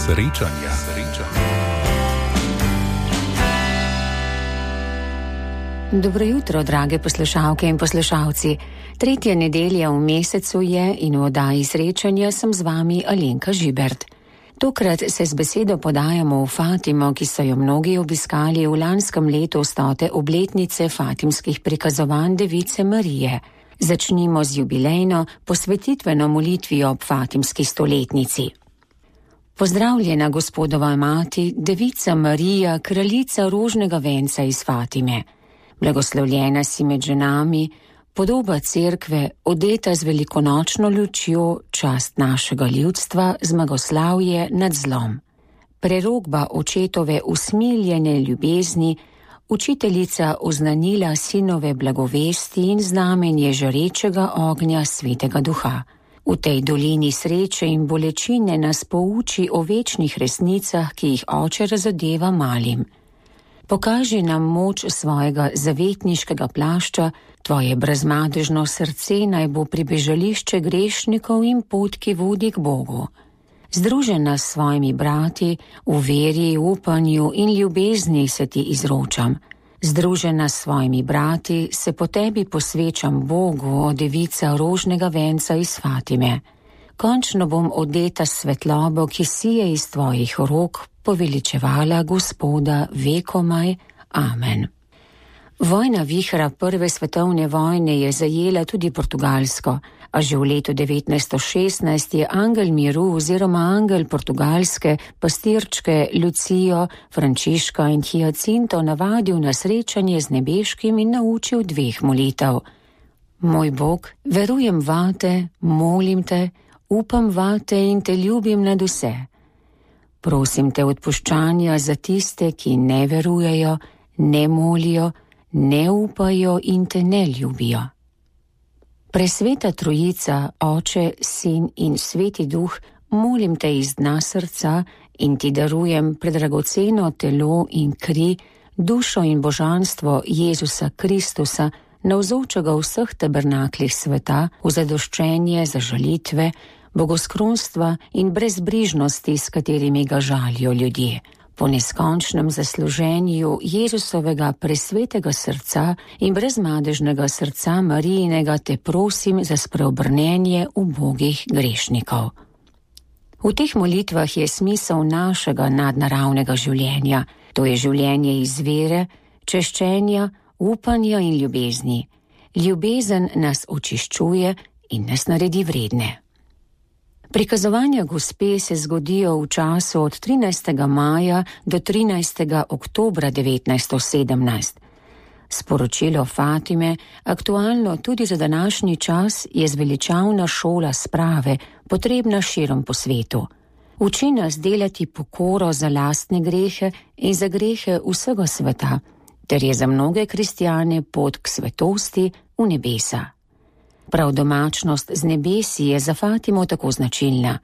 Srečanja. Dobro jutro, drage poslušalke in poslušalci. 3. nedelja v mesecu je in v oddaji Srečanja sem z vami Alenka Žibert. Tokrat se z besedo podajamo v Fatimo, ki so jo mnogi obiskali v lanskem letu 100. obletnice fatimskih prikazovanj Device Marije. Začnimo z jubilejno posvetitveno molitvijo ob fatimski stoletnici. Pozdravljena Gospodova mati, Devica Marija, kraljica rožnega venca iz Fatime. Blagoslovljena si med ženami, podoba cerkve, odeta z velikonočno lučjo, čast našega ljudstva, zmagoslavje nad zlom. Prerokba očetove usmiljene ljubezni, učiteljica oznanila sinove blagovesti in znamenje žarečega ognja Svetega Duha. V tej dolini sreče in bolečine nas pouči o večnih resnicah, ki jih Oče razodeva malim. Pokaži nam moč svojega zavetniškega plašča, tvoje brezmadežno srce naj bo pribežališče grešnikov in pot, ki vodi k Bogu. Združena s svojimi brati, v veri, upanju in ljubezni se ti izročam. Združena s svojimi brati, se po tebi posvečam Bogu, o devica rožnega venca iz Fatime. Končno bom odeta svetlobo, ki sije iz tvojih rok, poveličevala Gospoda vekomaj. Amen. Vojna vihra prve svetovne vojne je zajela tudi Portugalsko, a že v letu 1916 je angel miru oziroma angel portugalske pastirčke Lucijo, Frančiška in Hiacinto navadil na srečanje z nebeškim in naučil 2 molitev. Moj Bog, verujem vate, molim te, upam vate in te ljubim nad vse. Prosim te odpuščanja za tiste, ki ne verujejo, ne molijo, ne upajo in te ne ljubijo. Presveta Trojica, Oče, Sin in Sveti Duh, molim te iz dna srca in ti darujem predragoceno telo in kri, dušo in božanstvo Jezusa Kristusa, navzočega v vseh tabernaklih sveta, v zadoščenje za žalitve, bogoskrunstva in brezbrižnosti, s katerimi ga žalijo ljudje. Po neskončnem zasluženju Jezusovega presvetega srca in brezmadežnega srca Marijinega te prosim za spreobrnenje ubogih grešnikov. V teh molitvah je smisel našega nadnaravnega življenja, to je življenje iz vere, češčenja, upanja in ljubezni. Ljubezen nas očiščuje in nas naredi vredne. Prikazovanja Gospe se zgodijo v času od 13. maja do 13. oktobra 1917. Sporočilo Fatime, aktualno tudi za današnji čas, je zveličavna šola sprave, potrebna širom po svetu. Uči nas delati pokoro za lastne grehe in za grehe vsega sveta, ter je za mnoge kristjane pot k svetosti v nebesa. Prav domačnost z nebesi je za Fatimo tako značilna.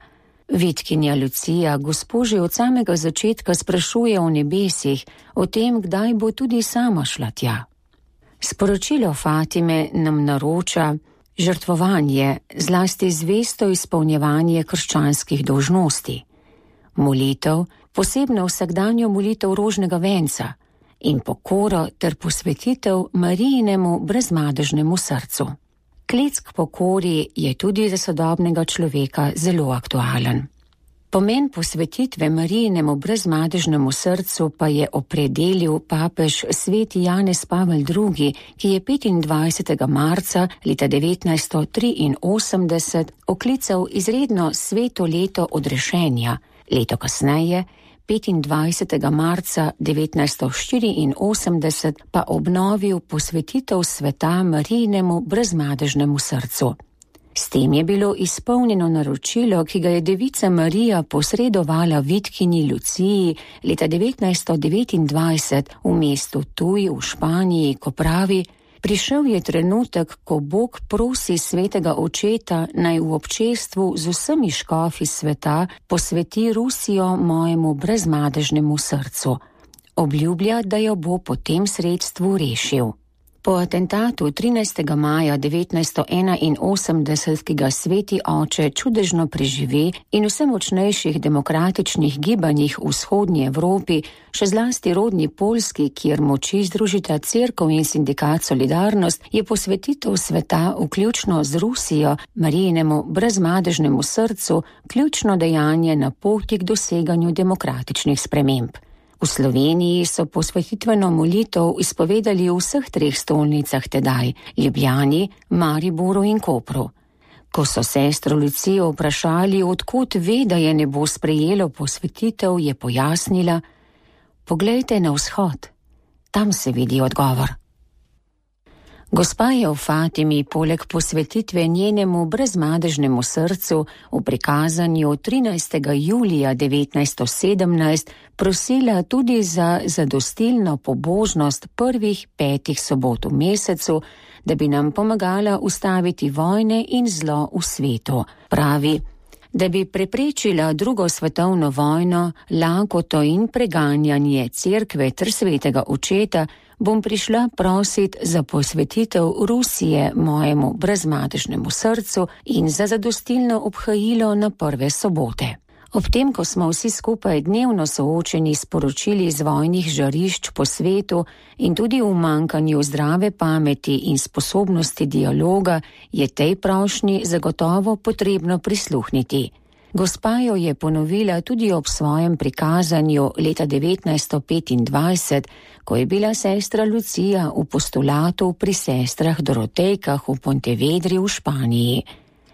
Vitkinja Lucija Gospo že od samega začetka sprašuje o nebesih, o tem, kdaj bo tudi sama šla tja. Sporočilo Fatime nam naroča žrtvovanje, zlasti zvesto izpolnjevanje krščanskih dolžnosti. Molitev, posebno vsakdanjo molitev rožnega venca in pokoro ter posvetitev Marijinemu brezmadežnemu srcu. Klic k pokori je tudi za sodobnega človeka zelo aktualen. Pomen posvetitve Marijinemu brezmadežnemu srcu pa je opredelil papež sveti Janez Pavel II, ki je 25. marca leta 1983 oklical izredno sveto leto odrešenja, leto kasneje, 25. marca 1984 pa obnovil posvetitev sveta Marijinemu brezmadežnemu srcu. S tem je bilo izpolnjeno naročilo, ki ga je Devica Marija posredovala vitkinji Luciji leta 1929 v mestu Tuy v Španiji, ko pravi: Prišel je trenutek, ko Bog prosi svetega očeta, naj v občestvu z vsemi škofi sveta posveti Rusijo mojemu brezmadežnemu srcu. Obljublja, da jo bo po tem sredstvu rešil. Po atentatu 13. maja 1981, ki ga sveti oče čudežno preživi in vse močnejših demokratičnih gibanjih v vzhodnji Evropi, še zlasti rodni Poljski, kjer moči združita cerkev in sindikat Solidarnost, je posvetitev sveta, vključno z Rusijo, Marijinemu brezmadežnemu srcu, ključno dejanje na poti k doseganju demokratičnih sprememb. V Sloveniji so posvetitveno molitev izpovedali v vseh 3 stolnicah tedaj, Ljubljani, Mariboru in Kopru. Ko so sestro Lucijo vprašali, odkot ve, da je nebo sprejelo posvetitev, je pojasnila: "Poglejte na vzhod, tam se vidi odgovor." Gospa je v Fatimi poleg posvetitve njenemu brezmadežnemu srcu v prikazanju 13. julija 1917 prosila tudi za zadostilno pobožnost prvih 5 sobot v mesecu, da bi nam pomagala ustaviti vojne in zlo v svetu. Pravi, da bi preprečila 2. svetovno vojno, lakoto in preganjanje cerkve ter svetega očeta, bom prišla prosit za posvetitev Rusije mojemu brezmadežnemu srcu in za zadostilno obhajilo na prve sobote. Ob tem, ko smo vsi skupaj dnevno soočeni s poročili iz vojnih žarišč po svetu in tudi v manjkanju zdrave pameti in sposobnosti dialoga, je tej prošnji zagotovo potrebno prisluhniti. Gospa jo je ponovila tudi ob svojem prikazanju leta 1925, ko je bila sestra Lucija v postulatu pri sestrah Dorotejkah v Pontevedri v Španiji.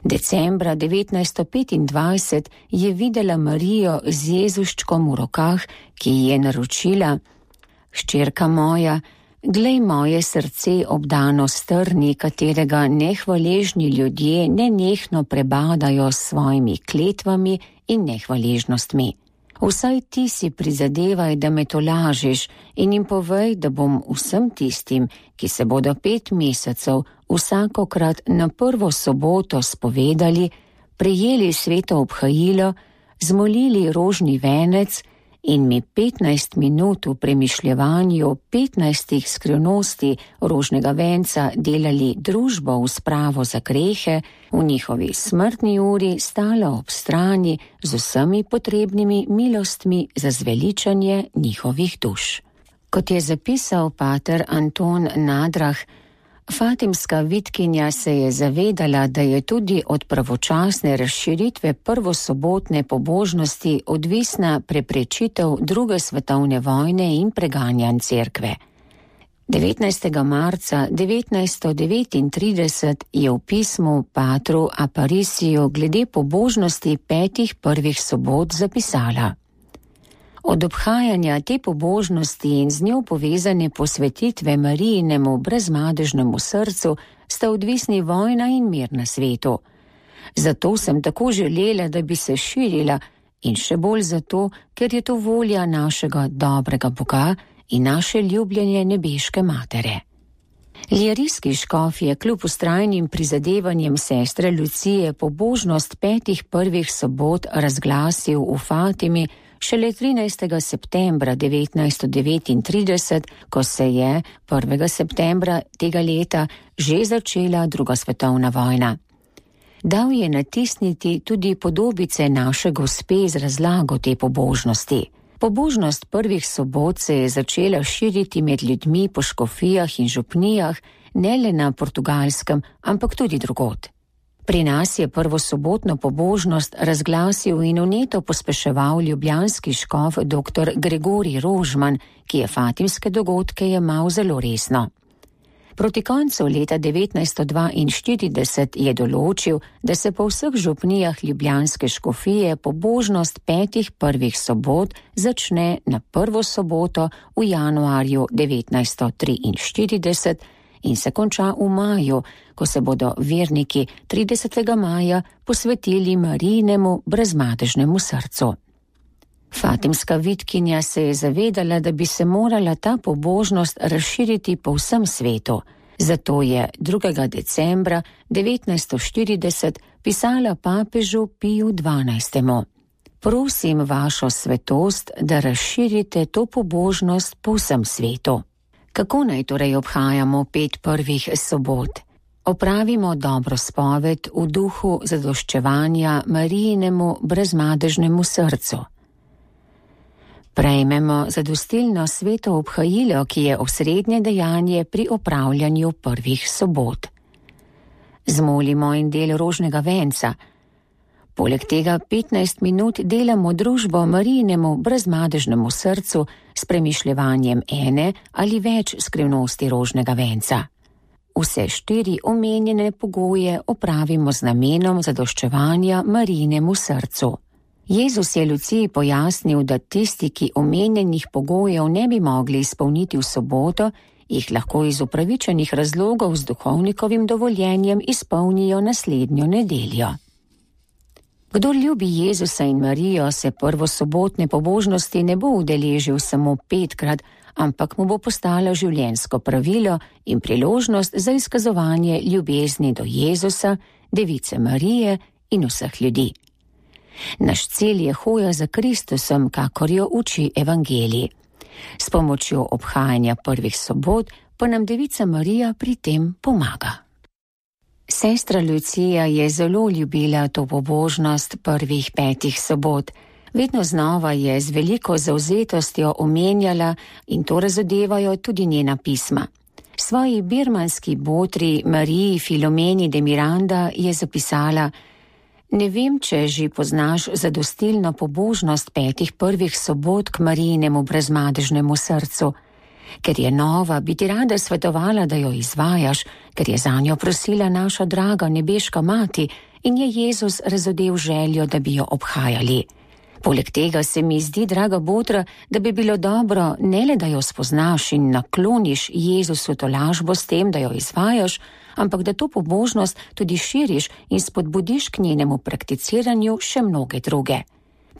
Decembra 1925 je videla Marijo z Jezuščkom v rokah, ki ji je naročila: "Hčerka moja, glej moje srce obdano s trni, katerega nehvaležni ljudje nenehno prebadajo s svojimi kletvami in nehvaležnostmi. Vsaj ti si prizadevaj, da me tolažiš, in jim povej, da bom vsem tistim, ki se bodo 5 mesecev vsakokrat na prvo soboto spovedali, prejeli sveto obhajilo, zmolili rožni venec in mi 15 minut v premišljevanju 15 skrivnosti rožnega venca delali družbo v spravo za grehe, v njihovi smrtni uri stala ob strani z vsemi potrebnimi milostmi za zveličanje njihovih duš." Kot je zapisal pater Anton Nadrah, fatimska vitkinja se je zavedala, da je tudi od pravočasne razširitve prvosobotne pobožnosti odvisna preprečitev 2. svetovne vojne in preganjanj cerkve. 19. marca 1939 je v pismu patru Apariciju glede pobožnosti 5 prvih sobot zapisala: "Od obhajanja te pobožnosti in z njo povezane posvetitve Marijinemu brezmadežnemu srcu sta odvisni vojna in mir na svetu. Zato sem tako želela, da bi se širila, in še bolj zato, ker je to volja našega dobrega Boga in naše ljubljenje nebeške matere." Lijerijski škof je kljub vztrajnim prizadevanjem sestre Lucije pobožnost 5 prvih sobot razglasil v Fatimi šele 13. septembra 1939, ko se je 1. septembra tega leta že začela 2. svetovna vojna. Dal je natisniti tudi podobice naše gospe z razlago te pobožnosti. Pobožnost prvih sobot se je začela širiti med ljudmi po škofijah in župnijah, ne le na Portugalskem, ampak tudi drugod. Pri nas je prvosobotno pobožnost razglasil in vneto pospeševal ljubljanski škof dr. Gregorij Rožman, ki je fatimske dogodke jemal zelo resno. Proti koncu leta 1942 je določil, da se po vseh župnijah ljubljanske škofije pobožnost 5 prvih sobot začne na prvo soboto v januarju 1943 in se konča v maju, ko se bodo verniki 30. maja posvetili Marijinemu brezmadežnemu srcu. Fatimska vitkinja se je zavedala, da bi se morala ta pobožnost razširiti po vsem svetu. Zato je 2. decembra 1940 pisala papežu Piju XII. "Prosim vašo svetost, da razširite to pobožnost po vsem svetu." Kako naj torej obhajamo 5 prvih sobot? Opravimo dobro spoved v duhu zadoščevanja Marijinemu brezmadežnemu srcu. Prejmemo zadostilno sveto obhajilo, ki je osrednje dejanje pri opravljanju prvih sobot. Zmolimo en del rožnega venca. Poleg tega 15 minut delamo družbo Marijinemu brezmadežnemu srcu s premišljevanjem ene ali več skrivnosti rožnega venca. Vse 4 omenjene pogoje opravimo z namenom zadoščevanja Marijinemu srcu. Jezus je Luciji pojasnil, da tisti, ki omenjenih pogojev ne bi mogli izpolniti v soboto, jih lahko iz upravičenih razlogov z duhovnikovim dovoljenjem izpolnijo naslednjo nedeljo. Kdor ljubi Jezusa in Marijo, se prvosobotne pobožnosti ne bo udeležil samo 5-krat, ampak mu bo postalo življenjsko pravilo in priložnost za izkazovanje ljubezni do Jezusa, Device Marije in vseh ljudi. Naš cilj je hoja za Kristusom, kakor jo uči evangelij. S pomočjo obhajanja prvih sobot pa nam Devica Marija pri tem pomaga. Sestra Lucija je zelo ljubila to pobožnost prvih 5 sobot. Vedno znova je z veliko zavzetostjo omenjala in to razodevajo tudi njena pisma. Svoji birmanski botri Mariji Filomeni de Miranda je zapisala: Ne vem, če že poznaš zadostilno pobožnost 5 prvih sobot k Marijinemu brezmadežnemu srcu. Ker je nova, bi ti rada svetovala, da jo izvajaš, ker je zanjo prosila naša draga nebeška mati in je Jezus razodel željo, da bi jo obhajali. Poleg tega se mi zdi, draga botra, da bi bilo dobro ne le, da jo spoznaš in nakloniš Jezusu tolažbo s tem, da jo izvajaš, ampak da to pobožnost tudi širiš in spodbudiš k njenemu prakticiranju še mnoge druge.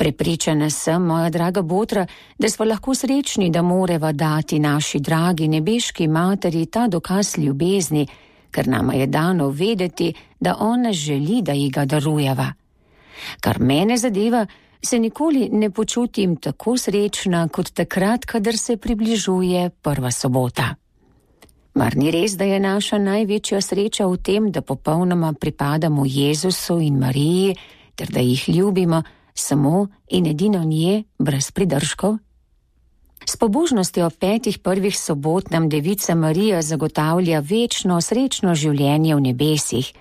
Prepričana sem, moja draga botra, da smo lahko srečni, da moreva dati naši dragi nebeški materi ta dokaz ljubezni, ker nama je dano vedeti, da ona želi, da ji ga darujeva. Kar mene zadeva, se nikoli ne počutim tako srečna kot takrat, kadar se približuje prva sobota. Mar ni res, da je naša največja sreča v tem, da popolnoma pripadamo Jezusu in Mariji, ter da jih ljubimo samo in edino nje, brez pridržkov? S pobožnostjo 5 prvih sobot nam Devica Marija zagotavlja večno srečno življenje v nebesih.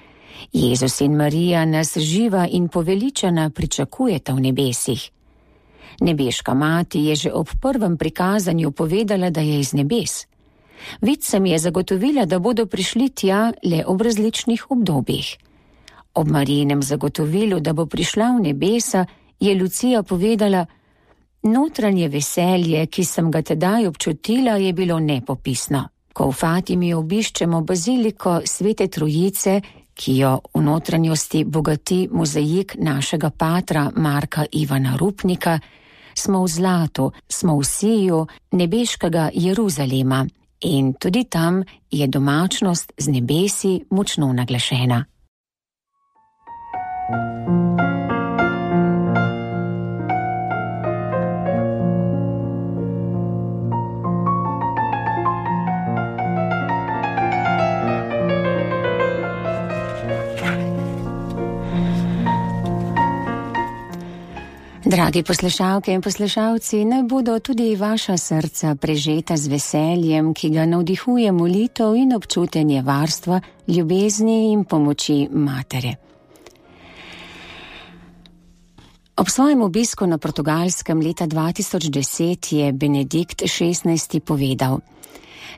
Jezus in Marija nas živa in poveličana pričakujeta v nebesih. Nebeška mati je že ob prvem prikazanju povedala, da je iz nebes. Vidcem je zagotovila, da bodo prišli tja le ob različnih obdobjih. Ob Marijinem zagotovilu, da bo prišla v nebesa, je Lucija povedala: Notranje veselje, ki sem ga tedaj občutila, je bilo nepopisno. Ko v Fatimi obiščemo baziliko Svete Trojice, ki jo v notranjosti bogati mozaik našega patra Marka Ivana Rupnika, smo v zlatu, smo v siju nebeškega Jeruzalema in tudi tam je domačnost z nebesi močno naglašena. Dragi poslušalke in poslušalci, naj bodo tudi vaša srca prežeta z veseljem, ki ga navdihuje molitev in občutenje varstva, ljubezni in pomoči matere. Ob svojem obisku na Portugalskem leta 2010 je Benedikt XVI. Povedal: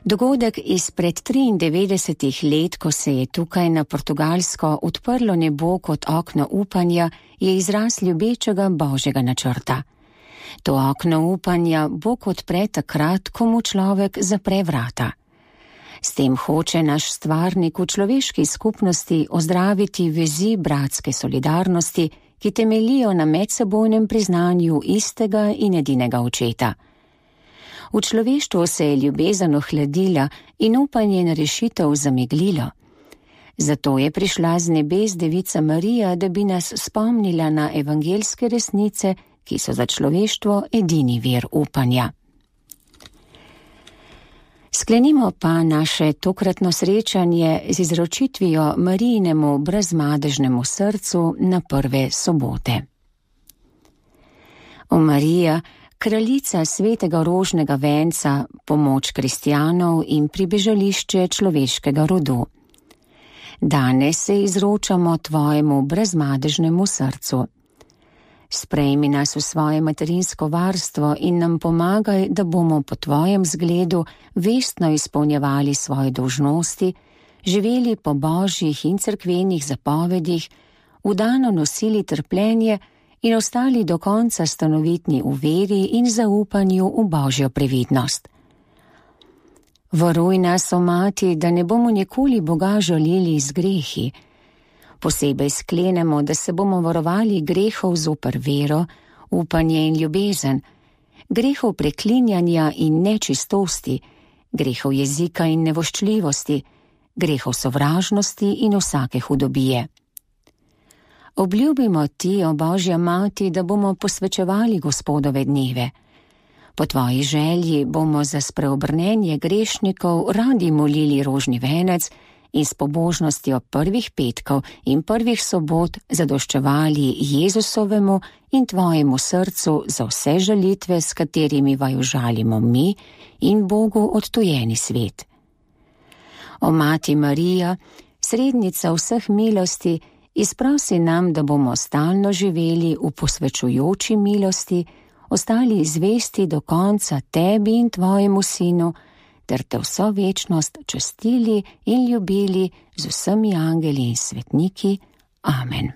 Dogodek izpred 93 let, ko se je tukaj na Portugalsko odprlo nebo kot okno upanja, je izraz ljubečega Božjega načrta. To okno upanja Bog odpre takrat, ko mu človek zapre vrata. S tem hoče naš stvarnik v človeški skupnosti ozdraviti vezi bratske solidarnosti, ki temeljijo na medsebojnem priznanju istega in edinega očeta. V človeštvu se je ljubezen ohladila in upanje na rešitev zameglilo. Zato je prišla z nebes Devica Marija, da bi nas spomnila na evangeljske resnice, ki so za človeštvo edini vir upanja. Sklenimo pa naše tokratno srečanje z izročitvijo Marijinemu brezmadežnemu srcu na prve sobote. O Marija, kraljica svetega rožnega venca, pomoč kristjanov in pribežališče človeškega rodu. Danes se izročamo tvojemu brezmadežnemu srcu. Sprejmi nas v svoje materinsko varstvo in nam pomagaj, da bomo po tvojem zgledu vestno izpolnjevali svoje dolžnosti, živeli po božjih in cerkvenih zapovedih, vdano nosili trpljenje in ostali do konca stanovitni v veri in zaupanju v božjo previdnost. Varuj nas, o Mati, da ne bomo nikoli Boga žalili z grehi. Posebej sklenemo, da se bomo varovali grehov zoper vero, upanje in ljubezen, grehov preklinjanja in nečistosti, grehov jezika in nevoščljivosti, grehov sovražnosti in vsake hudobije. Obljubimo ti, o Božja Mati, da bomo posvečevali Gospodove dneve. Po tvoji želji bomo za spreobrnenje grešnikov radi molili rožni venec in s pobožnostjo prvih petkov in prvih sobot zadoščevali Jezusovemu in tvojemu srcu za vse žalitve, s katerimi vaju žalimo mi in Bogu odtujeni svet. O Mati Marija, srednica vseh milosti, izprosi nam, da bomo stalno živeli v posvečujoči milosti, ostali zvesti do konca tebi in tvojemu sinu, ter te vso večnost častili in ljubili z vsemi angeli in svetniki. Amen.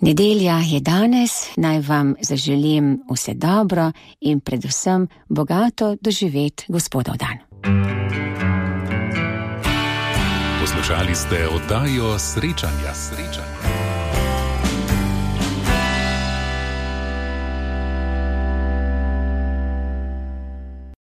Nedelja je danes, naj vam zaželim vse dobro in predvsem bogato doživet Gospodov dan. Poslušali ste oddajo Srečanja.